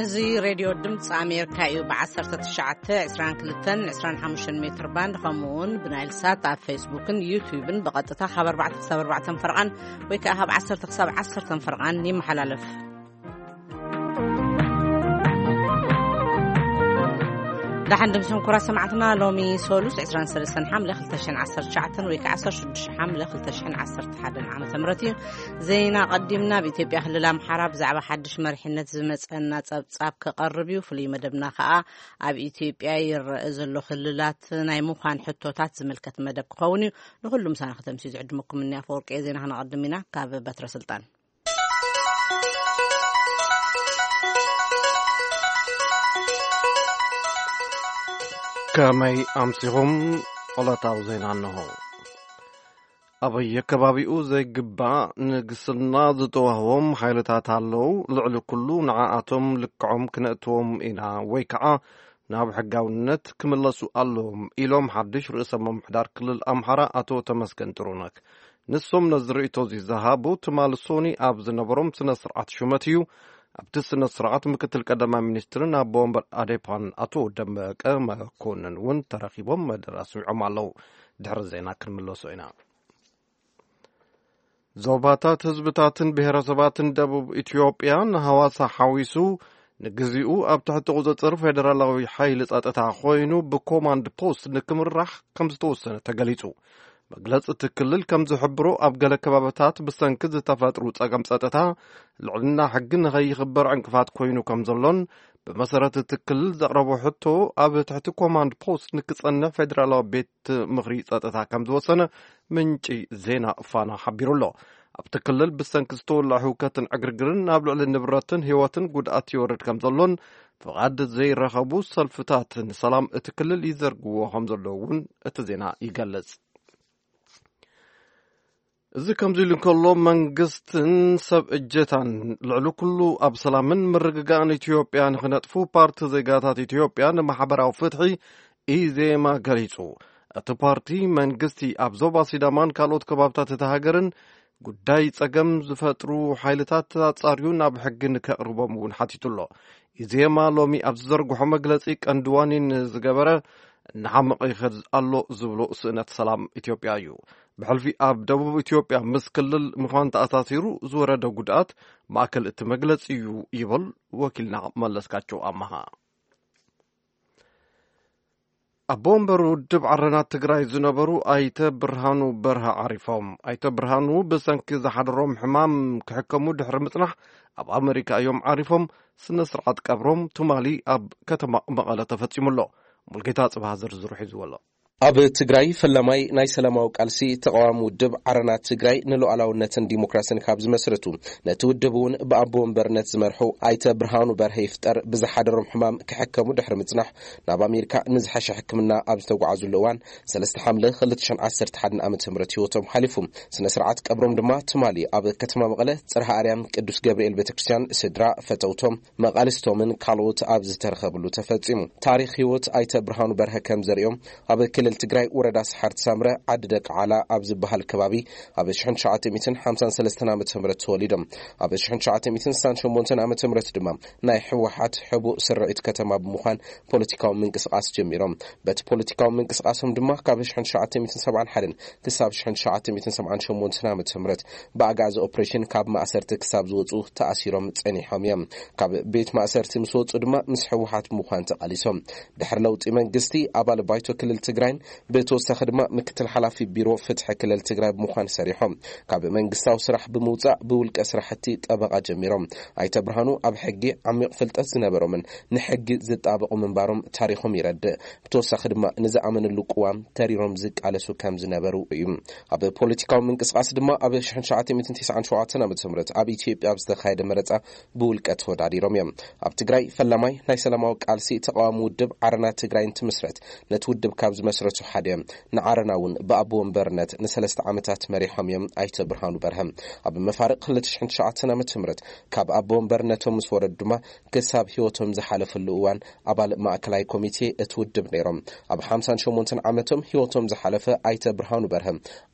እዚ ሬድዮ ድምፂ ኣሜሪካ እዩ። ብ19፣ 22፣ 25 ሜትር ባንድ፣ ከምኡ እውን ብናይል ሳት ኣብ ፌስቡክን ዩቲዩብን ብቐጥታ ካብ ኣርባዕተ ክሳብ ኣርባዕተ ፈርቓን ወይ ከዓ ካብ ዓሰርተ ክሳብ ዓሰርተ ፈርቓን ይመሓላለፍ። ደሓን ድምስም ኩራ ሰማዕትና፣ ሎሚ ሶሉስ 23 ሓምለ 2019 ወይ ከዓ 16 ሓምለ 2011 ዓመተ ምህረት እዩ። ዜና ቀዲምና። ኣብ ኢትዮጵያ ክልል ኣምሓራ ብዛዕባ ሓድሽ መሪሕነት ዝመፀና ጸብጻብ ክቐርብ እዩ። ፍሉይ መደብና ከዓ ኣብ ኢትዮጵያ ይረአ ዘሎ ክልላት ናይ ምዃን ሕቶታት ዝምልከት መደብ ክኸውን እዩ። ንኹሉ ምሳና ከተምስዩ ዝዕድመኩም እኒ ኣፈወርቂ እየ። ዜና ክነቐድም ኢና ካብ በትረ ስልጣን። ከመይ ኣምሲኹም? ዕለታዊ ዜና እንሆ። ኣብ ኣየከባቢኡ ዘይግባእ ንግስና ዝተዋህቦም ሓይልታት ኣለዉ። ልዕሊ ኩሉ ንዓኣቶም ልክዖም ክነእትዎም ኢና ወይ ከዓ ናብ ሕጋውነት ክምለሱ ኣለዎም ኢሎም ሓድሽ ርእሰ ምምሕዳር ክልል ኣምሓራ ኣቶ ተመስገን ጥሩነህ። ንሶም ነዚ ርእይቶ እዚ ዝሃቡ ትማሊ ሶኒ ኣብ ዝነበሮም ስነ ስርዓት ሹመት እዩ። ኣብቲ ስነ ስርዓት ምክትል ቀዳማይ ሚኒስትርን ኣቦ ወንበር ኣዴፓን ኣቶ ደመቀ መኮንን እውን ተረኺቦም መደረ ኣስሚዖም ኣለዉ። ድሕሪ ዜና ክንምለሶ ኢና። ዞባታት ህዝብታትን ብሔረሰባትን ደቡብ ኢትዮጵያ ንሃዋሳ ሓዊሱ ንግዚኡ ኣብ ትሕቲ ቁፅፅር ፌደራላዊ ሓይሊ ጸጥታ ኮይኑ ብኮማንድ ፖስት ንክምራሕ ከም ዝተወሰነ ተገሊጹ። መግለጺ እቲ ክልል ከም ዝሕብሮ ኣብ ገለ ከባብታት ብሰንኪ ዝተፈጥሩ ጸገም ጸጥታ ልዕልና ሕጊ ንኸይኽበር ዕንቅፋት ኮይኑ ከም ዘሎን ብመሰረት እቲ ክልል ዘቕረቦ ሕቶ ኣብ ትሕቲ ኮማንድ ፖስት ንክጸንሕ ፌደራላዊ ቤት ምኽሪ ጸጥታ ከም ዝወሰነ ምንጪ ዜና ፋና ሓቢሩ ኣሎ። ኣብቲ ክልል ብሰንኪ ዝተወልዐ ህውከትን ዕግርግርን ኣብ ልዕሊ ንብረትን ህይወትን ጉድኣት ይወርድ ከም ዘሎን ፍቓድ ዘይረኸቡ ሰልፍታት ንሰላም እቲ ክልል ይዘርግዎ ከም ዘለዉ እውን እቲ ዜና ይገልጽ። እዚ ከምዚ ኢሉ እንከሎ መንግስትን ሰብ እጀታን ልዕሊ ኩሉ ኣብ ሰላምን ምርግጋእን ኢትዮጵያ ንክነጥፉ ፓርቲ ዜጋታት ኢትዮጵያ ንማሕበራዊ ፍትሒ ኢዜማ ገሊጹ። እቲ ፓርቲ መንግስቲ ኣብ ዞባ ሲዳማን ካልኦት ከባብታት እታ ሃገርን ጉዳይ ጸገም ዝፈጥሩ ሓይልታት ኣጻርዩ ናብ ሕጊ ንከቕርቦም እውን ሓቲቱ ኣሎ። ኢዜማ ሎሚ ኣብ ዝዘርግሖ መግለጺ ቀንዲ ዋኒን ዝገበረ እናሓመቐ ይኸድ ኣሎ ዝብሎ ስእነት ሰላም ኢትዮጵያ እዩ። ብሕልፊ ኣብ ደቡብ ኢትዮጵያ ምስ ክልል ምዃን ተኣሳሲሩ ዝወረደ ጉድኣት ማእከል እቲ መግለጺ እዩ ይብል ወኪልና መለስካቸው ኣማሃ። ኣቦ ወንበር ውድብ ዓረና ትግራይ ዝነበሩ ኣይተ ብርሃኑ በርሀ ዓሪፎም። ኣይተ ብርሃኑ ብሰንኪ ዝሓደሮም ሕማም ክሕከሙ ድሕሪ ምጽናሕ ኣብ ኣመሪካ እዮም ዓሪፎም። ስነ ስርዓት ቀብሮም ትማሊ ኣብ ከተማ መቐለ ተፈጺሙ ኣሎ። ሙልጌታ ጽባህ ዝርዝሩ ሒዝዎ ኣሎ። ኣብ ትግራይ ፈላማይ ናይ ሰላማዊ ቃልሲ ተቃዋሚ ውድብ ዓረና ትግራይ ንሉዓላውነትን ዲሞክራስን ካብ ዝመስረቱ፣ ነቲ ውድብ እውን ብኣቦ ወንበርነት ዝመርሑ ኣይተ ብርሃኑ በርሀ ይፍጠር ብዝሓደሮም ሕማም ክሕከሙ ድሕሪ ምጽናሕ ናብ ኣሜሪካ ንዝሓሸ ሕክምና ኣብ ዝተጓዓዙሉ እዋን ሰለስተ ሓምለ ክልተ ሽሕን ዓሰርተ ሓደን ዓመተ ምህረት ህይወቶም ሓሊፉ። ስነ ስርዓት ቀብሮም ድማ ትማሊ ኣብ ከተማ መቐለ ጽርሃ ኣርያም ቅዱስ ገብርኤል ቤተክርስትያን ስድራ፣ ፈተውቶም፣ መቓልስቶምን ካልኦት ኣብ ዝተረኸብሉ ተፈጺሙ። ታሪኽ ህይወት ኣይተ ብርሃኑ በርሀ ከም ዘርእዮም ኣብ ክልል ትግራይ ወረዳ ሰሓርቲ ሳምረ ዓዲ ደቂ ዓላ ኣብ ዝበሃል ከባቢ ኣብ ሽሕን ትሽዓተ ሚእትን ሓምሳን ሰለስተን ዓመተ ምህረት ተወሊዶም። ኣብ ሽሕን ትሽዓተ ሚእትን ስሳን ሸሞንተን ዓመተ ምህረት ድማ ናይ ህወሓት ሕቡእ ስርዒት ከተማ ብምዃን ፖለቲካዊ ምንቅስቃስ ጀሚሮም። በቲ ፖለቲካዊ ምንቅስቃሶም ድማ ካብ ሽሕን ትሽዓተ ሚእትን ሰብዓን ሓደን ክሳብ ሽሕን ትሽዓተ ሚእትን ሰብዓን ሸሞንተን ዓመተ ምህረት ብኣጋዚ ኦፕሬሽን ካብ ማእሰርቲ ክሳብ ዝወፁ ተኣሲሮም ጸኒሖም እዮም። ካብ ቤት ማእሰርቲ ምስ ወፁ ድማ ምስ ህወሓት ብምዃን ተቓሊሶም። ድሕሪ ለውጢ መንግስቲ ኣባል ባይቶ ክልል ትግራይን ብተወሳኺ ድማ ምክትል ሓላፊ ቢሮ ፍትሒ ክልል ትግራይ ብምዃን ሰሪሖም። ካብ መንግስታዊ ስራሕ ብምውፃእ ብውልቀ ስራሕቲ ጠበቓ ጀሚሮም። ኣይተ ብርሃኑ ኣብ ሕጊ ዓሚቕ ፍልጠት ዝነበሮምን ንሕጊ ዝጣበቑ ምንባሮም ታሪኾም ይረድእ። ብተወሳኺ ድማ ንዝኣመንሉ ቅዋም ተሪሮም ዝቃለሱ ከም ዝነበሩ እዩ። ኣብ ፖለቲካዊ ምንቅስቃስ ድማ ኣብ ሽሕን ትሽዓተ ሚእትን ተስዓን ሸውዓተን ዓመተ ምህረት ኣብ ኢትዮጵያ ኣብ ዝተኻየደ መረፃ ብውልቀ ተወዳዲሮም እዮም። ኣብ ትግራይ ፈላማይ ናይ ሰላማዊ ቃልሲ ተቃዋሚ ውድብ ዓረና ትግራይ እንትምስረት ነቲ ውድብ ካብ ዝመስረቱ ሓደ እዮም። ንዓረና እውን ብኣቦ ወንበርነት ንሰለስተ ዓመታት መሪሖም እዮም ኣይተ ብርሃኑ በርሀ። ኣብ መፋርቕ ክልተ ሽሕን ትሽዓተን ዓመተ ምህረት ካብ ኣቦ ወንበርነቶም ምስ ወረዱ ድማ ክሳብ ህይወቶም ዝሓለፈሉ እዋን ኣባል ማእከላይ ኮሚቴ እቲ ውድብ ነይሮም። ኣብ ሓምሳን ሸሞንተን ዓመቶም ህይወቶም ዝሓለፈ ኣይተ ብርሃኑ በርሀ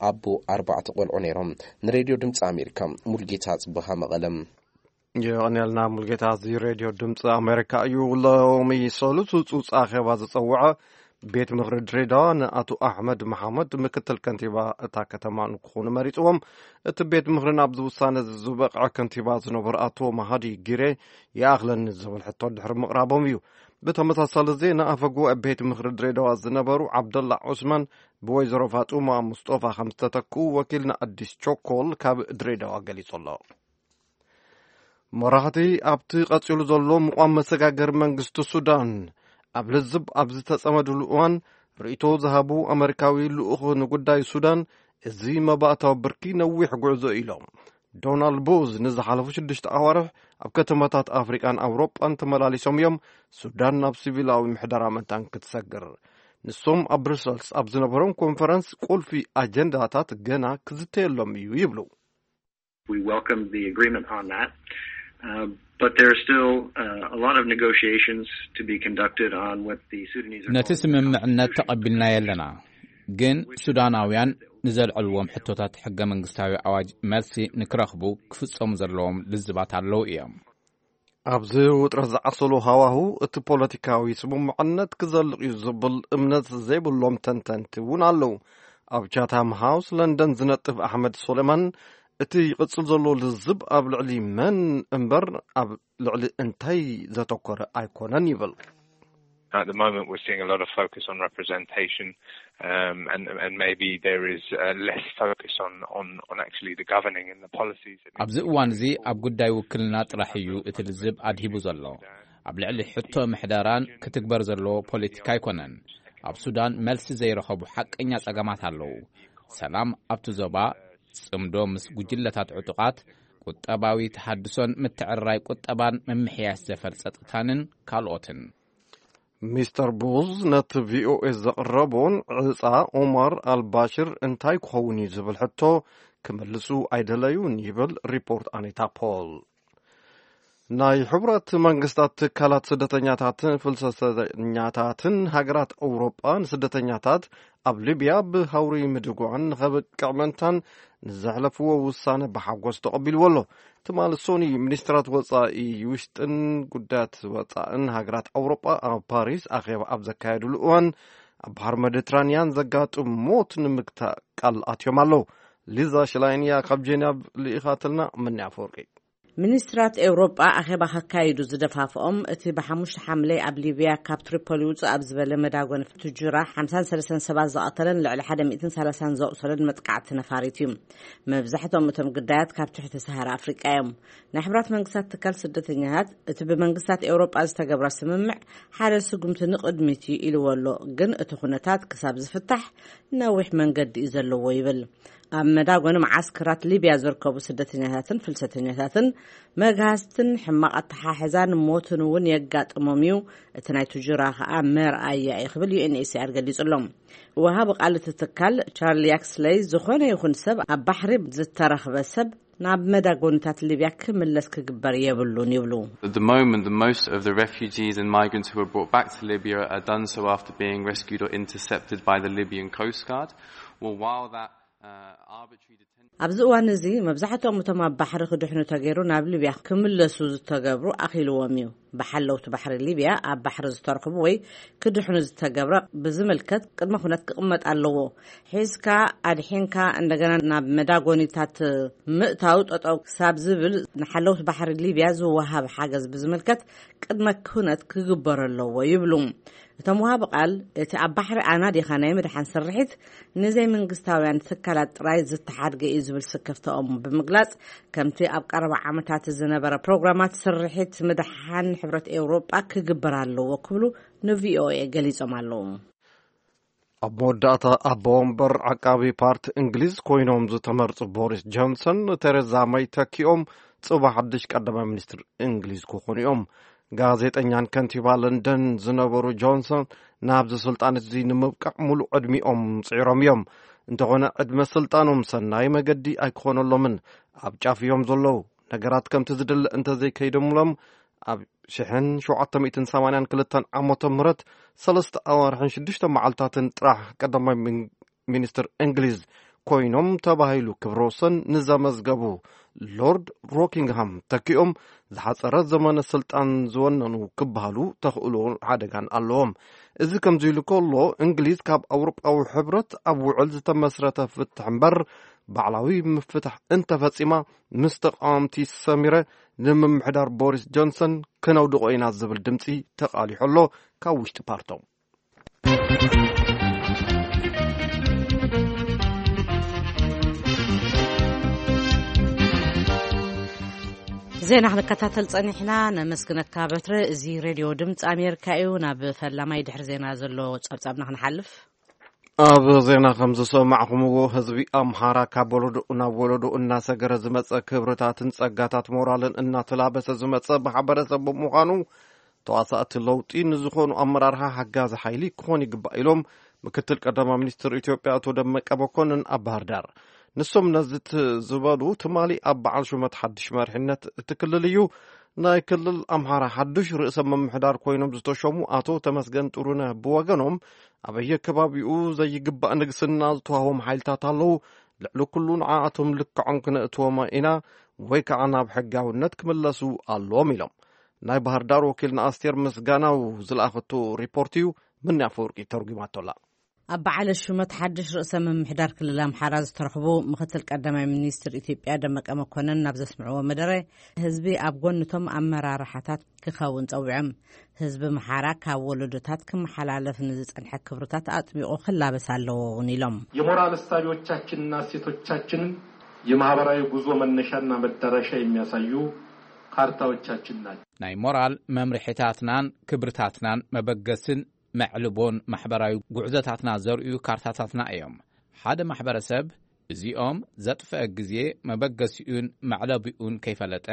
ኣቦ ኣርባዕተ ቆልዑ ነይሮም። ንሬድዮ ድምፂ ኣሜሪካ ሙልጌታ ጽቡሃ መቐለም። የቐንየልና ሙልጌታ። እዚ ሬድዮ ድምፂ ኣሜሪካ እዩ። ሎሚ ሰሉስ ፁፅ ኣኼባ ዝፀውዐ ቤት ምኽሪ ድሬዳዋ ንኣቶ ኣሕመድ መሓመድ ምክትል ከንቲባ እታ ከተማ ንክኾኑ መሪፅዎም። እቲ ቤት ምኽሪ ናብዚ ውሳነ ዝበቕዐ ከንቲባ ዝነበሩ ኣቶ መሃዲ ጊሬ ይኣኽለኒ ዝብል ሕቶ ድሕሪ ምቕራቦም እዩ። ብተመሳሳሊ ዜና ኣፈ ጉባኤ ቤት ምኽሪ ድሬዳዋ ዝነበሩ ዓብደላ ዑስማን ብወይዘሮ ፋጡማ ሙስጦፋ ከም ዝተተክኡ ወኪልና ኣዲስ ቾኮል ካብ ድሬዳዋ ገሊጹ ኣሎ። መራሕቲ ኣብቲ ቀጺሉ ዘሎ ምቋም መሰጋገሪ መንግስቲ ሱዳን ኣብ ልዝብ ኣብ ዝተጸመድሉ እዋን ርእይቶ ዝሃቡ ኣመሪካዊ ልኡኽ ንጉዳይ ሱዳን እዚ መባእታዊ ብርኪ ነዊሕ ጉዕዞ ኢሎም። ዶናልድ ቡዝ ንዝሓለፉ ሽዱሽተ ኣዋርሕ ኣብ ከተማታት ኣፍሪቃን ኣውሮጳን ተመላሊሶም እዮም። ሱዳን ናብ ሲቪላዊ ምሕደራ መታን ክትሰግር። ንሶም ኣብ ብሩሰልስ ኣብ ዝነበሮም ኮንፈረንስ ቁልፊ ኣጀንዳታት ገና ክዝተየሎም እዩ ይብሉ። We welcome the agreement on that. Uh, but there are still uh, a lot of negotiations to be conducted on what the Sudanese are ነቲ calling ስምምዕነት ተቐቢልናዮ ኣለና፣ ግን ሱዳናውያን ንዘልዐልዎም ሕቶታት ሕገ መንግስታዊ ኣዋጅ መልሲ ንክረኽቡ ክፍጸሙ ዘለዎም ልዝባት ኣለዉ እዮም። ኣብዚ ውጥረት ዝዓሰሎ ሃዋሁ እቲ ፖለቲካዊ ስምምዕነት ክዘልቕ እዩ ዝብል እምነት ዘይብሎም ተንተንቲ እውን ኣለዉ። ኣብ ቻታም ሃውስ ለንደን ዝነጥፍ ኣሕመድ ሶሌማን እቲ ይቕጽል ዘሎ ልዝብ ኣብ ልዕሊ መን እምበር ኣብ ልዕሊ እንታይ ዘተኮረ ኣይኮነን ይብል። At the moment, we're seeing a lot of focus on representation, um, and, and maybe there is uh, less focus on, on, on actually the governing and the policies. That need ኣብዚ እዋን እዚ ኣብ ጉዳይ ውክልና ጥራሕ እዩ እቲ ልዝብ ኣድሂቡ ዘሎ። ኣብ ልዕሊ ሕቶ ምሕደራን ክትግበር ዘለዎ ፖለቲካ ኣይኮነን። ኣብ ሱዳን መልሲ ዘይረኸቡ ሓቀኛ ጸገማት ኣለዉ። ሰላም ኣብቲ ዞባ፣ ጽምዶ ምስ ጉጅለታት ዕጡቓት፣ ቁጠባዊ ተሃድሶን ምትዕርራይ ቁጠባን፣ ምምሕያሽ ዘፈር ጸጥታንን ካልኦትን። ሚስተር ቡዝ ነቲ ቪኦኤ ዘቕረቦን ዕጻ ኦማር ኣልባሽር እንታይ ክኸውን እዩ ዝብል ሕቶ ክምልሱ ኣይደለዩን ይብል ሪፖርት ኣኒታ ፖል። ናይ ሕቡራት መንግስታት ትካላት ስደተኛታትን ፍልሰተኛታትን ሃገራት ኣውሮጳ ንስደተኛታት ኣብ ሊብያ ብሃውሪ ምድጓን ንኸብቅዕ መንታን ንዘሕለፍዎ ውሳነ ብሓጎስ ተቐቢልዎ ኣሎ። ትማሊ ሶኒ ሚኒስትራት ወጻኢ ውሽጥን ጉዳያት ወጻእን ሃገራት ኣውሮጳ ኣብ ፓሪስ ኣኼባ ኣብ ዘካየድሉ እዋን ኣብ ባሕሪ ሜዲትራንያን ዘጋጥም ሞት ንምግታእ ቃል ኣትዮም ኣለዉ። ሊዛ ሽላይን እያ ካብ ጄኔቭ ልኢኻትልና። ምንያ ኣፈወርቂ። ሚኒስትራት ኤውሮጳ ኣኼባ ከካይዱ ዝደፋፍኦም እቲ ብሓሙሽተ ሓምለ ኣብ ሊብያ ካብ ትሪፖሊ ውጹእ ኣብ ዝበለ መዳጎን ትጁራ ሓምሳን ሰለስተን ሰባት ዝቐተለን ልዕሊ ሓደ ሚእትን ሰላሳን ዘቑሰለን መጥቃዕቲ ነፋሪት እዩ። መብዛሕትኦም እቶም ግዳያት ካብ ትሕቲ ሰሃራ ኣፍሪቃ እዮም። ናይ ሕብራት መንግስታት ትካል ስደተኛታት እቲ ብመንግስታት ኤውሮጳ ዝተገብረ ስምምዕ ሓደ ስጉምቲ ንቕድሚት እዩ ኢልዎ ኣሎ፣ ግን እቲ ኩነታት ክሳብ ዝፍታሕ ነዊሕ መንገዲ እዩ ዘለዎ ይብል። ኣብ መዳጎኒ መዓስከራት ሊብያ ዝርከቡ ስደተኛታትን ፍልሰተኛታትን መግሃስትን ሕማቕ ኣተሓሕዛን ሞትን እውን የጋጥሞም እዩ። እቲ ናይ ትጁራ ከኣ መርኣያ እዩ ክብል ዩ ኤን ኤች ሲ ኣር ገሊጹ ኣሎ። ወሃቢ ቃል እቲ ትካል ቻርሊ ያክስለይ ዝኾነ ይኹን ሰብ ኣብ ባሕሪ ዝተረኽበ ሰብ ናብ መዳጎኒታት ሊብያ ክምለስ ክግበር የብሉን ይብሉ። At the moment, the most of the refugees and migrants who are brought back to Libya are done so after being rescued or intercepted by the Libyan Coast Guard. Well, while that uh, arbitrary detention ኣብዚ እዋን እዚ መብዛሕትኦም እቶም ኣብ ባሕሪ ክድሕኑ ተገይሩ ናብ ሊብያ ክምለሱ ዝተገብሩ ኣኺልዎም እዩ። ብሓለውቲ ባሕሪ ሊብያ ኣብ ባሕሪ ዝተረኽቡ ወይ ክድሕኑ ዝተገብረ ብዝምልከት ቅድመ ኩነት ክቕመጥ ኣለዎ። ሒዝካ ኣድሒንካ እንደገና ናብ መዳጎኒታት ምእታው ጠጠው ክሳብ ዝብል ንሓለውቲ ባሕሪ ሊብያ ዝወሃብ ሓገዝ ብዝምልከት ቅድመ ኩነት ክግበር ኣለዎ ይብሉ። እቶም ወሃቢ ቃል እቲ ኣብ ባሕሪ ኣናዲኻ ናይ ምድሓን ስርሒት ንዘይመንግስታውያን ትካላት ጥራይ ዝተሓድገ እዩ ዝብል ስክፍታኦም ብምግላጽ፣ ከምቲ ኣብ ቀረባ ዓመታት ዝነበረ ፕሮግራማት ስርሒት ምድሓን ሕብረት ኤውሮጳ ክግበር ኣለዎ ክብሉ ንቪኦኤ ገሊጾም ኣለዉ። ኣብ መወዳእታ ኣቦ ወንበር ዓቃቢ ፓርቲ እንግሊዝ ኮይኖም ዝተመርጹ ቦሪስ ጆንሰን ንቴሬዛ መይ ተኪኦም ጽባሕ ሓድሽ ቀዳማይ ሚኒስትር እንግሊዝ ክኾኑ እዮም። ጋዜጠኛን ከንቲባ ለንደን ዝነበሩ ጆንሰን ናብዚ ስልጣን እዚ ንምብቃዕ ሙሉእ ዕድሚኦም ጽዒሮም እዮም። እንተኾነ ዕድመ ስልጣኖም ሰናይ መገዲ ኣይክኾነሎምን። ኣብ ጫፍ እዮም ዘለዉ። ነገራት ከምቲ ዝድለ እንተዘይከይደምሎም ኣብ ሽሕን ሸውዓተ ሚእትን ሰማንያን ክልተን ዓመተ ምህረት ሰለስተ ኣዋርሕን ሽዱሽተ መዓልታትን ጥራሕ ቀዳማይ ሚን- ሚኒስትር እንግሊዝ ኮይኖም ተባሂሉ ክብረ ወሰን ንዘመዝገቡ ሎርድ ሮኪንግሃም ተኪኦም ዝሓጸረ ዘመነ ስልጣን ዝወነኑ ክበሃሉ ተኽእሎ ሓደጋን ኣለዎም። እዚ ከምዚ ኢሉ ከሎ፣ እንግሊዝ ካብ ኣውሮጳዊ ሕብረት ኣብ ውዕል ዝተመስረተ ፍትሕ እምበር ባዕላዊ ምፍታሕ እንተፈጺማ፣ ምስ ተቃወምቲ ሰሚረ ንምምሕዳር ቦሪስ ጆንሰን ክነውድቆ ኢና ዝብል ድምጺ ተቃሊሑ ኣሎ ካብ ውሽጢ ፓርቶም። ዜና ክንከታተል ጸኒሕና። ነመስግነካ በትረ። እዚ ሬድዮ ድምፂ ኣሜሪካ እዩ። ናብ ፈላማይ ድሕሪ ዜና ዘሎ ጸብጻብና ክንሓልፍ። ኣብ ዜና ከም ዝሰማዕኹምዎ፣ ህዝቢ ኣምሓራ ካብ ወለዶ ናብ ወለዶ እናሰገረ ዝመጸ ክብርታትን ጸጋታት ሞራልን እናተላበሰ ዝመጸ ማሕበረሰብ ብምዃኑ፣ ተዋሳእቲ ለውጢ ንዝኾኑ ኣመራርሓ ሓጋዚ ሓይሊ ክኾን ይግባእ ኢሎም ምክትል ቀዳማይ ሚኒስትር ኢትዮጵያ ኣቶ ደመቀ መኮንን ኣብ ባህር ዳር። ንሶም ነዚ ት-፣ ዝበሉ ትማሊ ኣብ በዓል ሹመት ሓድሽ መሪሕነት እቲ ክልል እዩ። ናይ ክልል ኣምሓራ ሓድሽ ርእሰ ምምሕዳር ኮይኖም ዝተሾሙ ኣቶ ተመስገን ጥሩነህ ብወገኖም፣ ኣበየ ከባቢኡ ዘይግባእ ንግስና ዝተዋህቦም ሓይልታት ኣለዉ፣ ልዕሊ ኩሉ ንዓኣቶም ልክዖም ክነእትዎም ኢና ወይ ከዓ ናብ ሕጋውነት ክምለሱ ኣለዎም ኢሎም። ናይ ባህር ዳር ወኪልና ኣስቴር ምስጋናው ዝለኣኸቶ ሪፖርት እዩ፣ ምንያ ኣፈወርቂ ተርጉማቶ ኣላ። ኣብ በዓለ ሹመት ሓድሽ ርእሰ ምምሕዳር ክልል ኣምሓራ ዝተረኽቡ ምክትል ቀዳማይ ሚኒስትር ኢትዮጵያ ደመቀ መኮንን ናብ ዘስምዕዎ መደረ፣ ህዝቢ ኣብ ጎንቶም ኣመራርሓታት ክኸውን ጸዊዖም። ህዝቢ ኣምሓራ ካብ ወለዶታት ክመሓላለፍ ንዝጸንሐ ክብርታት ኣጥቢቑ ክላበስ ኣለዎ እውን ኢሎም። የሞራል እሳቤዎቻችንና እሴቶቻችንን የማህበራዊ ጉዞ መነሻና መዳረሻ የሚያሳዩ ካርታዎቻችን ናቸው። ናይ ሞራል መምርሒታትናን ክብርታትናን መበገስን መዕልቦን ማሕበራዊ ጉዕዞታትና ዘርእዩ ካርታታትና እዮም። ሓደ ማሕበረሰብ እዚኦም ዘጥፈአ ግዜ መበገሲኡን መዕለቢኡን ከይፈለጠ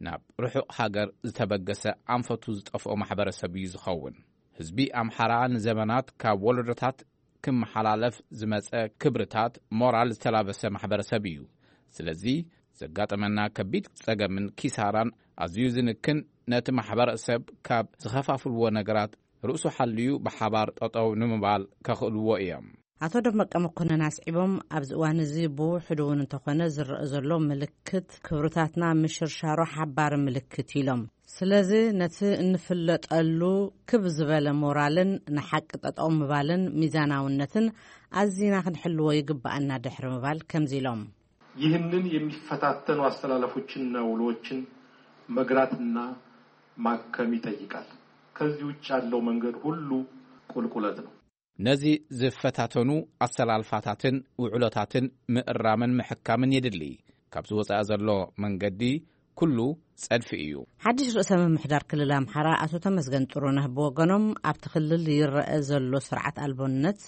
ናብ ርሑቕ ሃገር ዝተበገሰ ኣንፈቱ ዝጠፍኦ ማሕበረሰብ እዩ ዝኸውን። ህዝቢ ኣምሓራ ንዘመናት ካብ ወለዶታት ክመሓላለፍ ዝመጸ ክብርታት ሞራል ዝተላበሰ ማሕበረሰብ እዩ። ስለዚ ዘጋጠመና ከቢድ ጸገምን ኪሳራን ኣዝዩ ዝንክን፣ ነቲ ማሕበረሰብ ካብ ዝኸፋፍልዎ ነገራት ርእሱ ሓልዩ ብሓባር ጠጠው ንምባል ከኽእልዎ እዮም። ኣቶ ደመቀ መኮንን ኣስዒቦም፣ ኣብዚ እዋን እዚ ብውሕዱ እውን እንተኾነ ዝረአ ዘሎ ምልክት ክብርታትና ምሽርሻሮ ሓባሪ ምልክት ኢሎም። ስለዚ ነቲ እንፍለጠሉ ክብ ዝበለ ሞራልን ንሓቂ ጠጠው ምባልን ሚዛናውነትን ኣዚና ክንሕልዎ ይግባኣና ድሕሪ ምባል ከምዚ ኢሎም። ይህንን የሚፈታተኑ አስተላለፎችንና ውሎችን መግራትና ማከም ይጠይቃል። ከዚህ ውጭ ያለው መንገድ ሁሉ ቁልቁለት ነው። ነዚ ዝፈታተኑ ኣሰላልፋታትን ውዕሎታትን ምእራምን ምሕካምን የድሊ። ካብዚ ወጻኢ ዘሎ መንገዲ ኩሉ ጸድፊ እዩ። ሓድሽ ርእሰ ምምሕዳር ክልል ኣምሓራ ኣቶ ተመስገን ጥሩነህ ብወገኖም፣ ኣብቲ ክልል ይረአ ዘሎ ስርዓት ኣልቦነት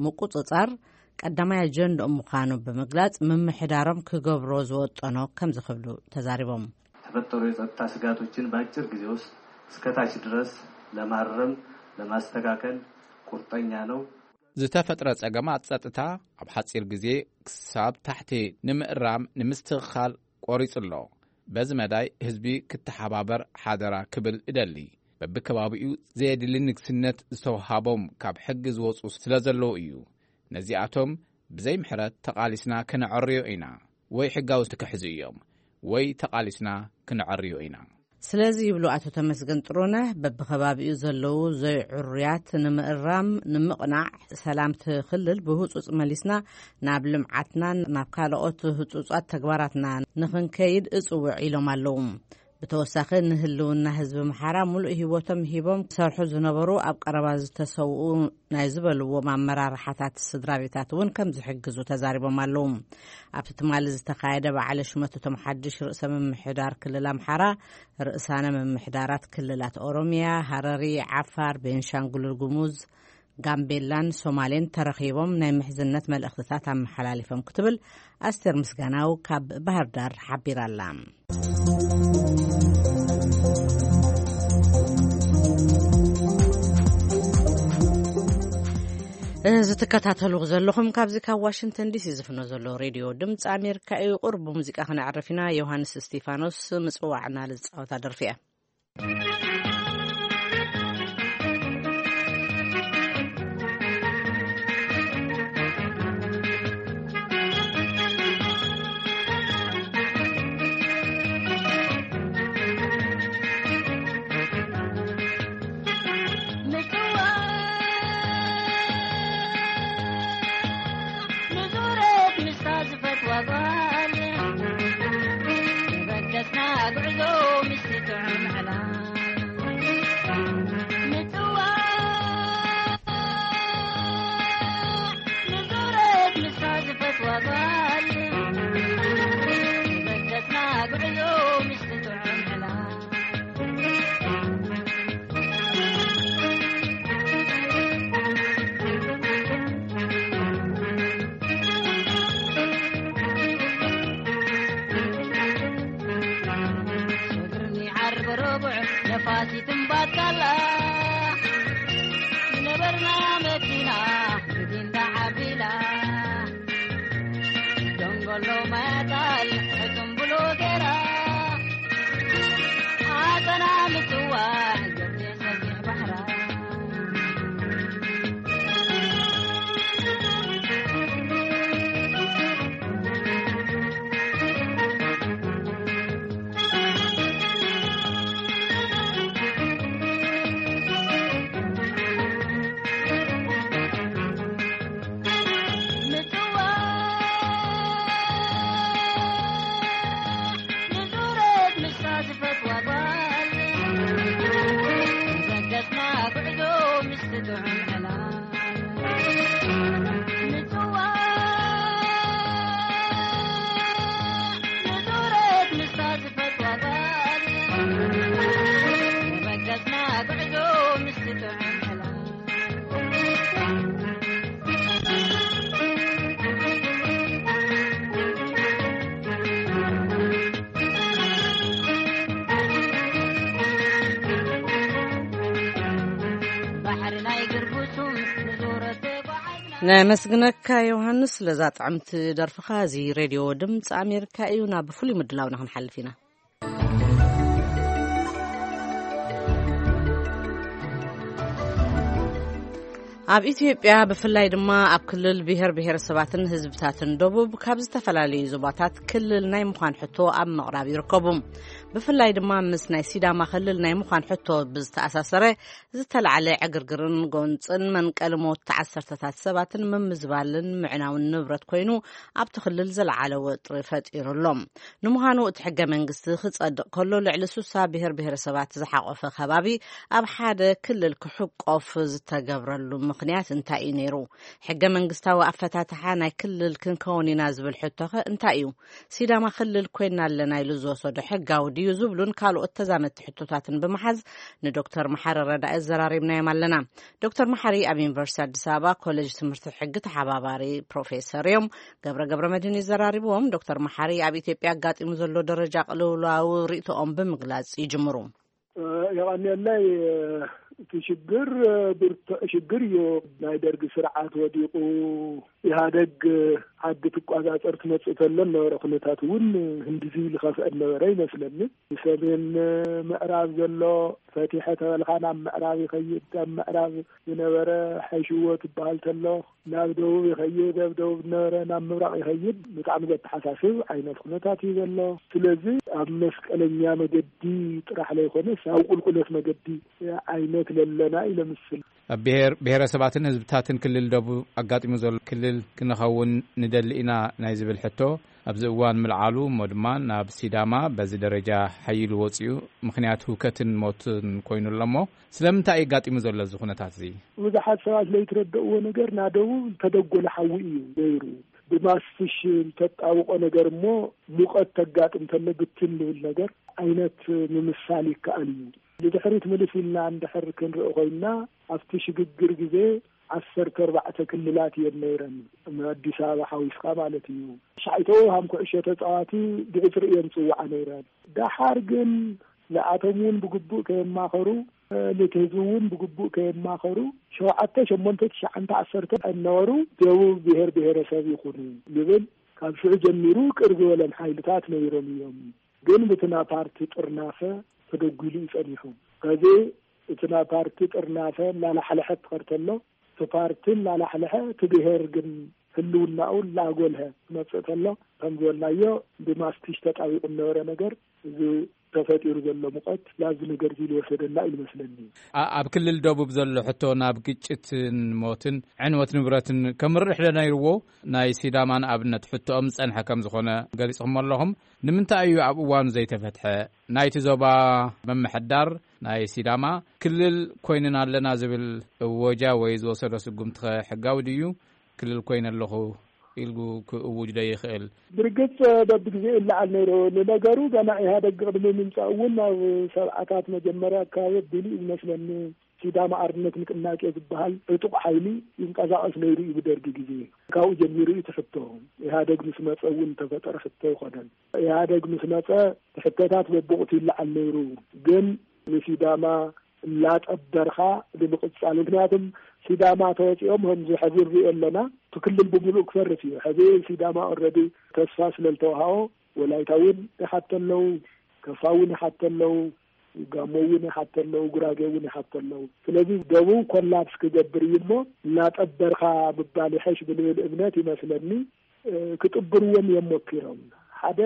ምቁጽጻር ቀዳማይ ኣጀንድኦም ምዃኑ ብምግላጽ፣ ምምሕዳሮም ክገብሮ ዝወጠኖ ከምዚ ክብሉ ተዛሪቦም። የተፈጠሩ የጸጥታ ስጋቶችን በአጭር ጊዜ ውስጥ እስከታች ድረስ ለማረም፣ ለማስተካከል ቁርጠኛ ነው። ዝተፈጥረ ጸገማት ጸጥታ ኣብ ሓጺር ግዜ ክሳብ ታሕቲ ንምእራም ንምስትኽኻል ቆሪጹ ኣሎ። በዚ መዳይ ህዝቢ ክተሓባበር ሓደራ ክብል እደሊ። በብከባቢኡ ዘየድሊ ንግስነት ዝተውሃቦም ካብ ሕጊ ዝወጹ ስለ ዘለዉ እዩ። ነዚኣቶም ብዘይ ምሕረት ተቓሊስና ክነዐርዮ ኢና። ወይ ሕጋዊ ክሕዙ እዮም፣ ወይ ተቓሊስና ክነዐርዮ ኢና። ስለዚ ይብሉ ኣቶ ተመስገን ጥሩነህ፣ በብከባቢኡ ዘለዉ ዘይዕሩያት ንምእራም፣ ንምቕናዕ፣ ሰላምቲ ክልል ብህጹጽ መሊስና ናብ ልምዓትናን ናብ ካልኦት ህጹጻት ተግባራትና ንኽንከይድ እጽውዕ ኢሎም ኣለዉ። ብተወሳኺ ንህልውና ህዝቢ ኣምሓራ ሙሉእ ህይወቶም ሂቦም ክሰርሑ ዝነበሩ ኣብ ቀረባ ዝተሰውኡ ናይ ዝበልዎም ኣመራርሓታት ስድራ ቤታት እውን ከም ዝሕግዙ ተዛሪቦም ኣለዉ። ኣብቲ ትማሊ ዝተኻየደ በዓለ ሹመት እቶም ሓድሽ ርእሰ ምምሕዳር ክልል ኣምሓራ፣ ርእሳነ ምምሕዳራት ክልላት ኦሮሚያ፣ ሃረሪ፣ ዓፋር፣ ቤንሻንጉል ጉሙዝ፣ ጋምቤላን ሶማሌን ተረኺቦም ናይ ምሕዝነት መልእኽትታት ኣመሓላሊፎም ክትብል ኣስቴር ምስጋናው ካብ ባህር ዳር ሓቢራ ኣላ። እዚ ትከታተሉ ዘለኹም ካብዚ ካብ ዋሽንግተን ዲሲ ዝፍኖ ዘሎ ሬድዮ ድምፂ ኣሜሪካ እዩ። ቁሩብ ብሙዚቃ ክነዕርፍ ኢና። ዮሃንስ እስቲፋኖስ ምፅዋዕና ልዝፃወታ ደርፊ እያ። ሎማታል ሕቱም ብሎ ገራ ኣተና ምጽዋዕ ገብሬ ሰፊሕ ባሕራ። ነመስግነካ ዮሃንስ ለዛ ጥዕምቲ ደርፍኻ። እዚ ሬድዮ ድምፂ ኣሜሪካ እዩ። ናብ ፍሉይ ምድላውና ክንሓልፍ ኢና። ኣብ ኢትዮጵያ ብፍላይ ድማ ኣብ ክልል ብሔር ብሔረሰባትን ህዝብታትን ደቡብ ካብ ዝተፈላለዩ ዞባታት ክልል ናይ ምዃን ሕቶ ኣብ ምቕራብ ይርከቡ። ብፍላይ ድማ ምስ ናይ ሲዳማ ክልል ናይ ምዃን ሕቶ ብዝተኣሳሰረ ዝተላዕለ ዕግርግርን ጎንፅን መንቀሊ ሞት ዓሰርተታት ሰባትን ምምዝባልን ምዕናውን ንብረት ኮይኑ ኣብቲ ክልል ዘለዓለ ወጥሪ ፈጢሩ ኣሎ። ንምዃኑ እቲ ሕገ መንግስቲ ክጸድቕ ከሎ ልዕሊ ሱሳ ብሔር ብሔረሰባት ዝሓቆፈ ከባቢ ኣብ ሓደ ክልል ክሕቆፍ ዝተገብረሉ ምኽንያት እንታይ እዩ ነይሩ? ሕገ መንግስታዊ ኣፈታትሓ ናይ ክልል ክንከውን ኢና ዝብል ሕቶኸ እንታይ እዩ? ሲዳማ ክልል ኮይና ኣለና ኢሉ ዝወሰዶ ሕጋዊ ድዩ ዝብሉን ካልኦት ተዛመድቲ ሕቶታትን ብምሓዝ ንዶክተር መሓሪ ረዳኢ ዘራሪብናዮም ኣለና። ዶክተር መሓሪ ኣብ ዩኒቨርሲቲ ኣዲስ ኣበባ ኮሌጅ ትምህርቲ ሕጊ ተሓባባሪ ፕሮፌሰር እዮም። ገብረ ገብረ መድህን ይዘራሪብዎም። ዶክተር መሓሪ ኣብ ኢትዮጵያ ኣጋጢሙ ዘሎ ደረጃ ቅልውላው ርእይቶኦም ብምግላጽ ይጅምሩ። የቐንየለይ። እቲ ሽግር ብርቱዕ ሽግር እዩ። ናይ ደርጊ ስርዓት ወዲቑ ኢህኣደግ ዓዲ ትቋጻጸር ትመጽእ ተሎ ነበረ ኩነታት እውን ህንድዚ ዝኸፍአ ነበረ ይመስለኒ። ብሰሜን ምዕራብ ዘሎ ፈቲሐ ተበልካ ናብ ምዕራብ ይኸይድ፣ ኣብ ምዕራብ ዝነበረ ሓይሽዎ ትበሃል ተሎ ናብ ደቡብ ይኸይድ፣ ኣብ ደቡብ ዝነበረ ናብ ምብራቕ ይኸይድ። ብጣዕሚ ዘተሓሳስብ ዓይነት ኩነታት እዩ ዘሎ። ስለዚ ኣብ መስቀለኛ መገዲ ጥራሕ ለይኮነስ ኣብ ቁልቁለት መገዲ ዓይነት ለለና እዩ ለምስል። ኣብ ብሔር ብሔረሰባትን ህዝብታትን ክልል ደቡብ ኣጋጢሙ ዘሎ ክልል ክንኸውን ንደሊ ኢና ናይ ዝብል ሕቶ ኣብዚ እዋን ምልዓሉ እሞ ድማ ናብ ሲዳማ በዚ ደረጃ ሓይሉ ወፂኡ ምኽንያት ህውከትን ሞትን ኮይኑ ኣሎ እሞ ስለምንታይ እዩ ኣጋጢሙ ዘሎ እዚ ኩነታት እዚ? ብዙሓት ሰባት ለይትረደእዎ ነገር ና ደቡብ ዝተደጎለ ሓዊ እዩ ነይሩ። ብማስትሽ ተጣብቆ ነገር እሞ ሙቐት ተጋጥም ተሎ ብትን ልብል ነገር ዓይነት ምምሳል ይከኣል እዩ። ንድሕሪት ምልስ ኢልና እንድሕር ክንርኢ ኮይንና ኣብቲ ሽግግር ግዜ ዓሰርተ ኣርባዕተ ክልላት እየን ነይረን፣ ኣዲስ ኣበባ ሓዊስካ ማለት እዩ። ሻዕተው ሃም ኩዕሾ ተፃዋቲ ብዕፅሪ እየን ፅውዓ ነይረን። ደሓር ግን ንኣቶም እውን ብግቡእ ከየማኸሩ፣ ነቲ ህዝቢ እውን ብግቡእ ከየማኸሩ፣ ሸውዓተ ሸሞንተ ትሽዓተ ዓሰርተ እናበሩ ደቡብ ብሔር ብሔረሰብ ይኹኑ ይብል። ካብ ሽዑ ጀሚሩ ቅር ዝበሎም ሓይልታት ነይሮም እዮም። ግን ብትና ፓርቲ ጥርናፈ ተደጒሉ እዩ ጸኒሑ። ከዚ እቲ ናይ ፓርቲ ጥርናፈ እናላሕለሐ ትኸድ ተሎ፣ እቲ ፓርቲ እናላሕለሐ፣ እቲ ብሔር ግን ህልውናኡ እናጎልሀ ክመጽእ ተሎ፣ ከም ዝበልናዮ ብማስቲሽ ተጣቢቑ ዝነበረ ነገር፣ እዚ ተፈጢሩ ዘሎ ሙቐት ናብዚ ነገር እዚ ዝወሰደና እዩ ዝመስለኒ። ኣ-፣ ኣብ ክልል ደቡብ ዘሎ ሕቶ ናብ ግጭትን ሞትን ዕንወት ንብረትን ከምርሕ ዶ ነይርዎ? ናይ ሲዳማ ንኣብነት ሕቶኦም ዝጸንሐ ከም ዝኾነ ገሊጽኹሞ ኣለኹም። ንምንታይ እዩ ኣብ እዋኑ ዘይተፈትሐ? ናይቲ ዞባ ምምሕዳር ናይ ሲዳማ ክልል ኮይንና ኣለና ዝብል እወጃ ወይ ዝወሰዶ ስጉምቲ ኸ ሕጋዊ ድዩ? ክልል ኮይነ ኣለኹ ኢልጉ ክእውጅ ዶ ይኽእል? ብርግጽ በብግዜኡ ይለዓል ነይሩ። ንነገሩ ገና ኢህኣደግ ቅድሚ ምምጻእ እውን ኣብ ሰብዓታት መጀመርያ ኣካባቢ ኣቢሉ እዩ ዝመስለኒ። ሲዳማ ኣርነት ንቅናቄ ዝበሃል ዕጡቕ ሓይሊ ይንቀሳቐስ ነይሩ እዩ ብደርጊ ግዜ። ካብኡ ጀሚሩ እዩ እቲ ሕቶ። ኢህኣደግ ምስ መጸ እውን ተፈጠረ ሕቶ ኣይኮነን። ኢህኣደግ ምስ መጸ እቲ ሕቶታት በብወቕቱ ይለዓል ነይሩ። ግን ንሲዳማ እናጠበርካ ንምቕጻል። ምክንያቱም ሲዳማ ተወፂኦም ከምዚ ሕዚ ንሪኦ ኣለና፣ እቲ ክልል ብምሉእ ክፈርስ እዩ። ሕዚ ሲዳማ ኦልሬዲ ተስፋ ስለ ዝተዋሃቦ ወላይታ እውን ይሓቱ ኣለዉ፣ ከፋ እውን ይሓቱ ኣለዉ፣ ጋሞ እውን ይሓቱ ኣለዉ፣ ጉራጌ እውን ይሓቱ ኣለዉ። ስለዚ ደቡብ ኮላፕስ ክገብር እዩ እሞ እናጠበርካ ምባል ይሐሽ ብልብል እምነት ይመስለኒ። እ፣ ክጥብርዎም እዮም ሞኪሮም። ሓደ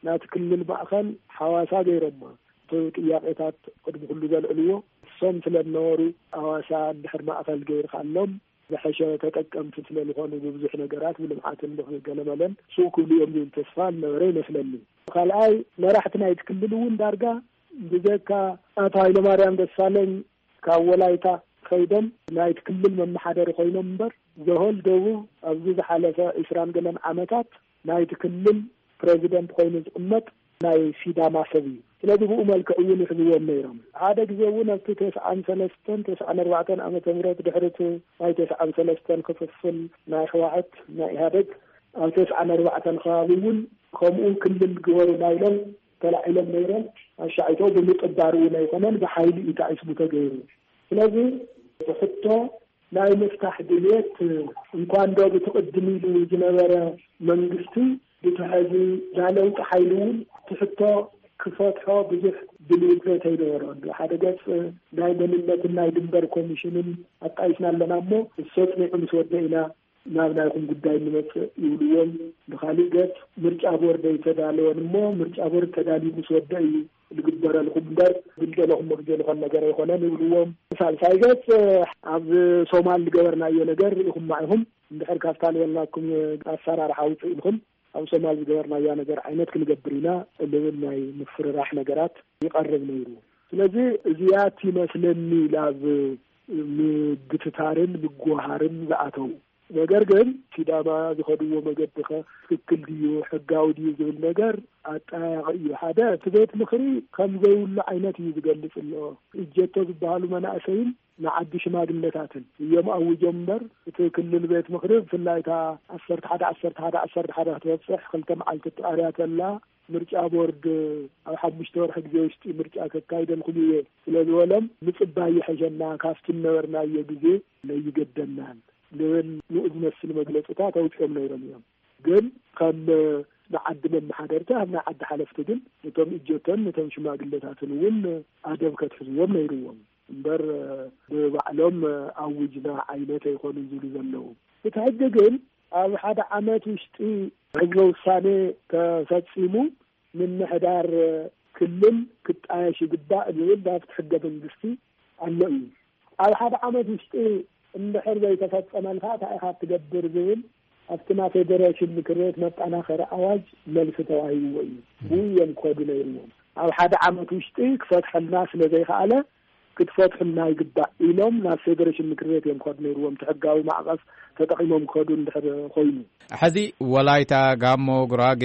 ናቲ ክልል ማእኸል ሓዋሳ ገይሮማ። እቲ ጥያቄታት ቅድሚ ኩሉ ዘልዕልዎ እሶም ስለ ዝነበሩ፣ ሓዋሳ እንድሕር ማእኸል ገይርካሎም ዝሐሸ ተጠቀምቲ ስለ ዝኾኑ ብብዙሕ ነገራት ብልምዓትን ብገለመለን ስው ክብሉ እዮም ዝብል ተስፋ ዝነበረ ይመስለኒ። ካልኣይ መራሕቲ ናይቲ ክልል እውን ዳርጋ ብዘካ ኣቶ ሃይለማርያም ደሳለኝ ካብ ወላይታ ከይዶም ናይቲ ክልል መመሓደሪ ኮይኖም እምበር፣ ዘሆል ደቡብ ኣብዚ ዝሓለፈ ዒስራን ገለን ዓመታት ናይቲ ክልል ፕሬዚደንት ኮይኑ ዝቕመጥ ናይ ሲዳማ ሰብ እዩ። ስለዚ ብኡ መልክዕ እውን ይሕዝዎም ነይሮም። ሓደ ግዜ እውን ኣብቲ ተስዓን ሰለስተን ተስዓን ኣርባዕተን ዓመተ ምህረት ድሕሪ እቲ ናይ ተስዓን ሰለስተን ክፍፍል ናይ ህወሓት ናይ ኢህኣደግ ኣብ ተስዓን ኣርባዕተን ከባቢ እውን ከምኡ ክልል ግበሩና ኢሎም ተላዒሎም ነይሮም። ኣሻዒቶ ብምጥባር እውን ኣይኮነን፣ ብሓይሊ እዩ ተዓስቡ ተገይሩ። ስለዚ ብሕቶ ናይ ምፍታሕ ድልየት እንኳን ዶ ብቲ ቅድም ኢሉ ዝነበረ መንግስቲ ብቲ ሕዚ ናይ ለውጢ ሓይሊ እውን እቲ ሕቶ ክፈትሖ ብዙሕ ድልየት ዘይተይነበሮ ኣሎ። ሓደ ገፅ ናይ መንነትን ናይ ድንበር ኮሚሽንን ኣጣይስና ኣለና እሞ እሱ ኣፅኒዑ ምስ ወደ ኢና ናብ ናይኹም ጉዳይ እንመፅእ ይብልዎም። ብኻሊእ ገፅ ምርጫ ቦርድ ኣይተዳለወን እሞ ምርጫ ቦርድ ተዳልዩ ምስ ወደ እዩ ዝግበረልኩም እምበር ብልደለኹም መግዜ ዝኾን ነገር ኣይኮነን ይብልዎም። ሳልሳይ ገፅ ኣብ ሶማል ዝገበርናዮ ነገር ርኢኹም ማኢኹም እንድሕር ካብታ ዝበልናኩም ኣሰራርሓ ውፅእ ኢልኩም ኣብ ሶማል ዝገበርናያ ነገር ዓይነት ክንገብር ኢና ልብል ናይ ምፍርራሕ ነገራት ይቐርብ ነይሩ። ስለዚ እዚኣ ትመስለኒ ናብ ምግትታርን ምጉሃርን ዝኣተው። ነገር ግን ሲዳማ ዝኸድዎ መገዲ ኸ ትክክል ድዩ፣ ሕጋዊ ድዩ ዝብል ነገር ኣጠያያቂ እዩ። ሓደ እቲ ቤት ምኽሪ ከም ዘይብሉ ዓይነት እዩ ዝገልጽ ኣሎ። እጀቶ ዝበሃሉ መናእሰይን ንዓዲ ሽማግለታትን እዮም ኣውጆም እምበር እቲ ክልል ቤት ምኽሪ ብፍላይ እታ ዓሰርተ ሓደ ዓሰርተ ሓደ ዓሰርተ ሓደ ክትበፅሕ ክልተ መዓልቲ ተቃርያ ተላ ምርጫ ቦርድ ኣብ ሓሙሽተ ወርሒ ግዜ ውሽጢ ምርጫ ከካይደልኩም እየ ስለ ዝበሎም ምፅባይ ይሐሸና ካብቲ ዝነበርናዮ ግዜ ለይገደናን ልብል ንኡ ዝመስል መግለፅታት ኣውፂኦም ነይሮም እዮም። ግን ከም ንዓዲ መመሓደርቲ ኣብ ናይ ዓዲ ሓለፍቲ ግን ነቶም እጀቶን ነቶም ሽማግለታትን እውን ኣደብ ከትሕዝዎም ነይርዎም እምበር ብባዕሎም ኣውጅና ዓይነት ኣይኮኑን ዝብሉ ዘለዉ። እቲ ሕጂ ግን ኣብ ሓደ ዓመት ውሽጢ ህዝበ ውሳኔ ተፈጺሙ ምምሕዳር ክልል ክጣየሽ ይግባእ ዝብል ናብቲ ሕገ መንግስቲ ኣሎ እዩ። ኣብ ሓደ ዓመት ውሽጢ እንድሕር ዘይተፈጸመልካ እንታይ ኢኻ ትገብር ዝብል ኣብቲ ናይ ፌደሬሽን ምክር ቤት መጠናኸሪ ኣዋጅ መልሲ ተዋሂብዎ እዩ። ብኡ እዮም ክኸዱ ነይርዎም። ኣብ ሓደ ዓመት ውሽጢ ክፈትሐልና ስለ ዘይከኣለ ክትፈትሑልና ይግባእ ኢሎም ናብ ፌደሬሽን ምክር ቤት እዮም ክኸዱ ነይርዎም። እቲ ሕጋዊ ማዕቐፍ ተጠቒሞም ክኸዱ እንድሕር ኮይኑ። ሕዚ ወላይታ፣ ጋሞ፣ ጉራጌ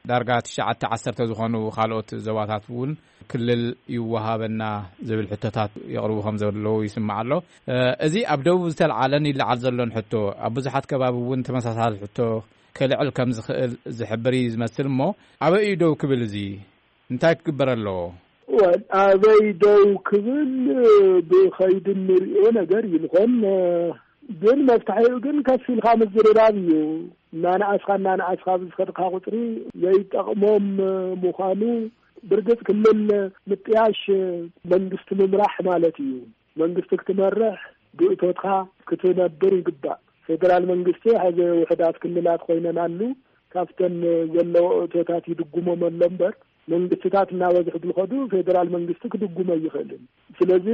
ዳርጋ ትሽዓተ ዓሰርተ ዝኾኑ ካልኦት ዞባታት እውን ክልል ይወሃበና ዝብል ሕቶታት የቕርቡ ከም ዘለዉ ይስማዕ ኣሎ። እዚ ኣብ ደቡብ ዝተልዓለን ይለዓል ዘሎን ሕቶ ኣብ ብዙሓት ከባቢ እውን ተመሳሳሊ ሕቶ ክልዕል ከም ዝኽእል ዝሕብር እዩ ዝመስል እሞ ኣበይ እዩ ደው ክብል? እዚ እንታይ ክግበር ኣለዎ? ወል ኣበይ ደው ክብል ብኸይዲ እንሪኦ ነገር እዩ ዝኾን። ግን መፍትሒኡ ግን ከፍ ኢልካ ምዝርራብ እዩ። እናነኣስካ እናነኣስካ ብዝኸድካ ቁፅሪ ዘይጠቕሞም ምዃኑ ብርግፅ ክልል ምጥያሽ መንግስቲ ምምራሕ ማለት እዩ። መንግስቲ ክትመርሕ ብእቶትካ ክትነብር ይግባእ። ፌደራል መንግስቲ ሕዚ ውሕዳት ክልላት ኮይነን ኣሉ ካብተን ዘለዎ እቶታት ይድጉሞም ኣሎ እምበር መንግስትታት እናበዝሑ ብዝኸዱ ፌደራል መንግስቲ ክድጉሞ ኣይኽእልን። ስለዚ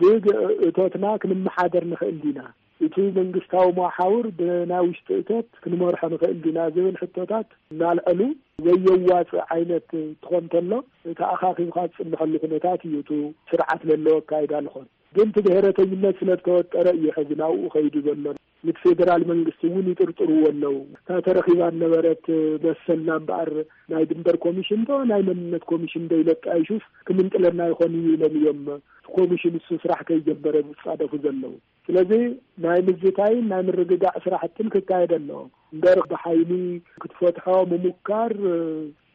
ብእቶትና ክንመሓደር ንኽእል ዲና? እቲ መንግስታዊ መሓውር ብናይ ውሽጢ እቶት ክንመርሖ ንኽእል ዲና ዝብል ሕቶታት እናልዐሉ ዘየዋፅእ ዓይነት ትኾን ተሎ እቲ ኣኻኺብካ ዝፅንሐሉ ኩነታት እዩ። እቲ ስርዓት ለለዎ ኣካይዳ ልኾን ግን እቲ ብሄረተኝነት ስለ ዝተወጠረ እዩ ሕዚ ናብኡ ከይዱ ዘሎ። ንፌደራል መንግስቲ እውን ይጥርጥርዎ ኣለዉ። እታ ተረኺባ ነበረት መሰልና እምበኣር ናይ ድንበር ኮሚሽን ዶ ናይ መንነት ኮሚሽን ዶ ኢለ ኣጣይሹስ ክምንጥለና ይኾን እዩ ኢሎም እዮም እቲ ኮሚሽን እሱ ስራሕ ከይጀመረ ዝፃደፉ ዘለዉ። ስለዚ ናይ ምዝታይን ናይ ምርግጋዕ ስራሕትን ክካየድ ኣለዎ እምበር ብሓይሊ ክትፈትሖ ምሙካር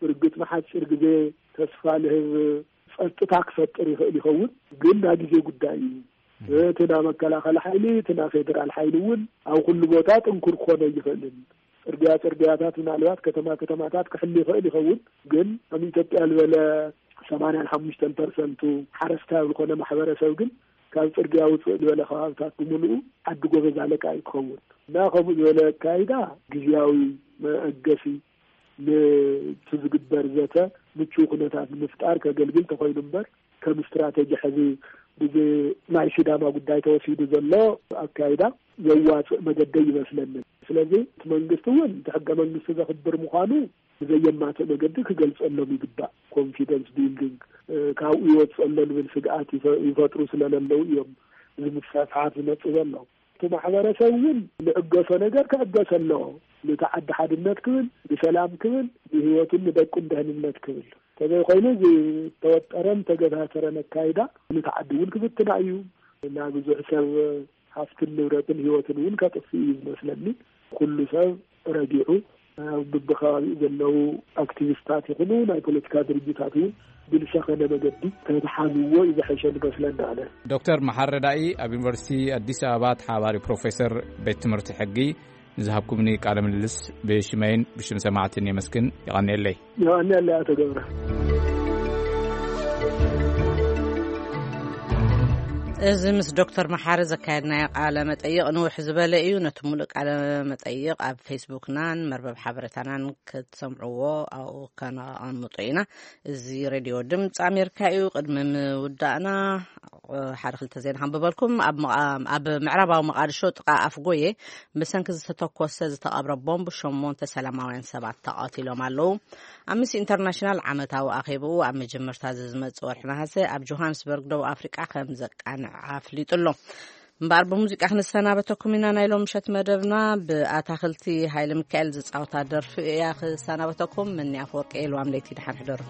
እርግጥ ንሓፂር ግዜ ተስፋ ልህብ ጸጥታ ክፈጥር ይኽእል ይኸውን፣ ግን ናይ ግዜ ጉዳይ እዩ። እቲ ናይ መከላኸሊ ሓይሊ፣ እቲ ናይ ፌደራል ሓይሊ እውን ኣብ ኩሉ ቦታ ጥንኩር ክኾን ኣይኽእልን። ጽርግያ ጽርግያታት ምናልባት ከተማ ከተማታት ክሕል ይኽእል ይኸውን፣ ግን ከም ኢትዮጵያ ዝበለ ሰማንያን ሓሙሽተን ፐርሰንቱ ሓረስታይ ኣብ ዝኾነ ማሕበረሰብ ግን ካብ ጽርግያ ውፅእ ዝበለ ከባብታት ብምልኡ ዓዲ ጎበዝ ኣለቃ እዩ ክኸውን። እና ከምኡ ዝበለ ኣካይዳ ግዝያዊ መእገሲ ንቲ ዝግበር ዘተ ምቹው ኩነታት ንምፍጣር ከገልግል ተኾይኑ እምበር፣ ከም ስትራተጂ ሕዚ ብዚ ናይ ሲዳማ ጉዳይ ተወሲዱ ዘሎ ኣካይዳ ዘዋፅእ መገዲ ይመስለኒ። ስለዚ እቲ መንግስቲ እውን እቲ ሕገ መንግስቲ ዘኽብር ምዃኑ ብዘየማትእ መገዲ ክገልፀሎም ይግባእ። ኮንፊደንስ ቢልዲንግ ካብኡ ይወፅእ ኣሎ ዝብል ስግኣት ይፈጥሩ ስለለለው እዮም እዚ ምስፍሕፋሓት ዝመፅእ ዘሎ። እቲ ማሕበረሰብ እውን ንዕገሶ ነገር ክዕገሰ ኣለዎ። ነቲ ዓዲ ሓድነት ክብል፣ ንሰላም ክብል፣ ንህይወቱን ንደቁን ደህንነት ክብል። ተዘይኮይኑ ዝተወጠረን ተገታተረን ኣካይዳ ነቲ ዓዲ እውን ክብትና እዩ። ናብ ብዙሕ ሰብ ሃፍትን ንብረትን ህይወትን እውን ከጥፍእ እዩ ዝመስለኒ። ኩሉ ሰብ ረጊዑ ብብከባቢኡ ዘለዉ ኣክቲቪስታት ይኹኑ ናይ ፖለቲካ ድርጅታት እውን ብዝሰኸነ መገዲ ተተሓዝዎ እዩ ዝሐሸ ዝመስለኒ ኣነ። ዶክተር መሓሪ ረዳኢ ኣብ ዩኒቨርሲቲ ኣዲስ ኣበባ ተሓባሪ ፕሮፌሰር ቤት ትምህርቲ ሕጊ ንዝሃብኩምኒ ቃለ ምልልስ ብሽመይን ብሽም ሰማዕትን የመስግን። ይቐንየለይ። ይቐንየለይ ኣቶ ገብረ። እዚ ምስ ዶክተር መሓሪ ዘካየድናዮ ቃለ መጠይቕ ንውሕ ዝበለ እዩ። ነቲ ሙሉእ ቃለ መጠይቕ ኣብ ፌስቡክናን መርበብ ሓበሬታናን ክትሰምዕዎ ኣብኡ ከነቐምጦ ኢና። እዚ ሬድዮ ድምፂ ኣሜሪካ እዩ። ቅድሚ ምውዳእና ሓደ ክልተ ዜና ከንብበልኩም። ኣብ መቓ- ኣብ ምዕራባዊ መቓድሾ ጥቓ ኣፍጎየ ብሰንኪ ዝተተኮሰ ዝተቐብረ ቦምብ ሸሞንተ ሰላማውያን ሰባት ተቐቲሎም ኣለዉ። ኣምነስቲ ኢንተርናሽናል ዓመታዊ ኣኼብኡ ኣብ መጀመርታ ዝመጽእ ወርሒ ነሃሰ ኣብ ጆሃንስበርግ ደቡብ ኣፍሪቃ ከም ዘቃንዕ ኣፍሊጡ ኣሎ። እምበኣር ብሙዚቃ ክንሰናበተኩም ኢና። ናይ ሎም ምሸት መደብና ብኣታኽልቲ ሃይለ ሚካኤል ዝጻወታ ደርፊ እያ ክሰናበተኩም። ምንያ ኣፈወርቂ እየ። ልዋም ለይቲ ደሓን ሕደሩ።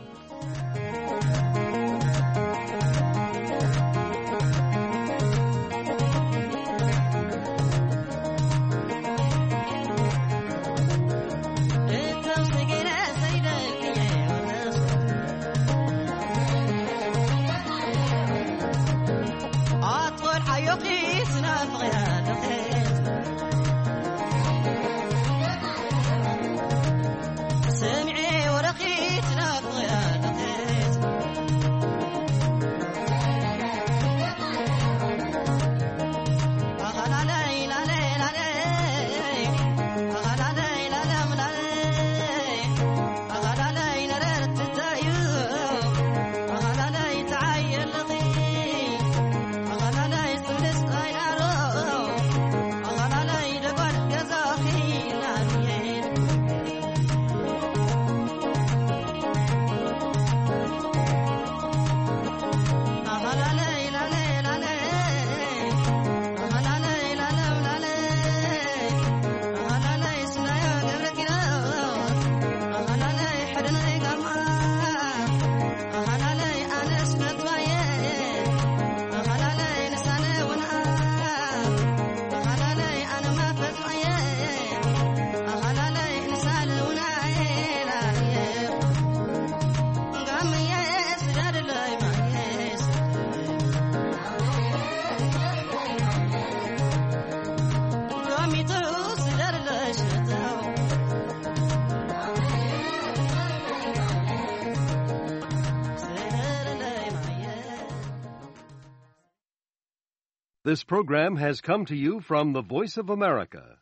This program has come to you from the Voice of America,